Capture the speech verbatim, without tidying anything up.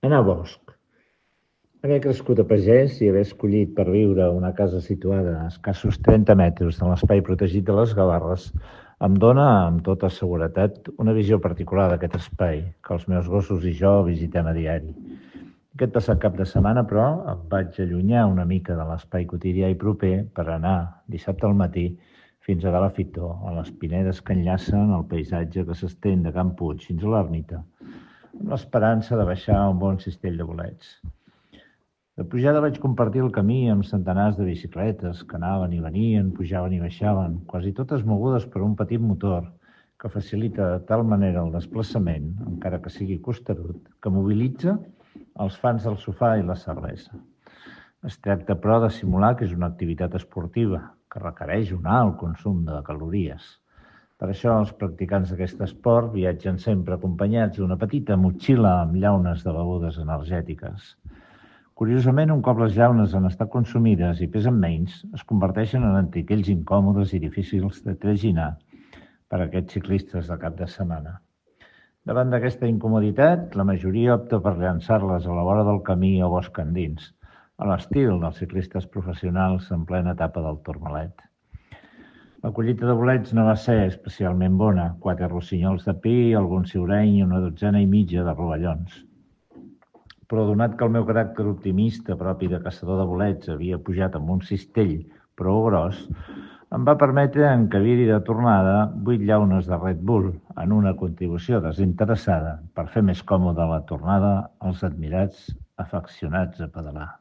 Anar a bosc. Haver crescut a pagès i haver escollit per viure una casa situada a escassos trenta metres de l'espai protegit de les Gavarres em dóna, amb tota seguretat, una visió particular d'aquest espai, que els meus gossos i jo visitem a diari. Aquest passat cap de setmana, però, em vaig allunyar una mica de l'espai quotidià i proper per anar, dissabte al matí, fins a Gala Fitó, a les pinedes que enllacen el paisatge que s'estén de Can Puig fins a l'ermita, amb l'esperança de baixar un bon cistell de bolets. De pujada vaig compartir el camí amb centenars de bicicletes que anaven i venien, pujaven i baixaven, quasi totes mogudes per un petit motor que facilita de tal manera el desplaçament, encara que sigui costerut, que mobilitza els fans del sofà i la cervesa. Es tracta, però, de simular que és una activitat esportiva, que requereix un alt consum de calories. Per això els practicants d'aquest esport viatgen sempre acompanyats d'una petita motxilla amb llaunes de begudes energètiques. Curiosament, un cop les llaunes han estat consumides i pesen menys, es converteixen en antiquells incòmodes i difícils de traginar per a aquests ciclistes de cap de setmana. Davant d'aquesta incomoditat, la majoria opta per llançar-les a la vora del camí o bosc endins, a l'estil dels ciclistes professionals en plena etapa del Tourmalet. La collita de bolets no va ser especialment bona, quatre rossinyols de pi, algun ciureny i una dotzena i mitja de rovellons. Però donat que el meu caràcter optimista propi de caçador de bolets havia pujat amb un cistell prou gros, em va permetre encabir-hi de tornada vuit llaunes de Red Bull en una contribució desinteressada per fer més còmode la tornada als admirats afeccionats a pedalar.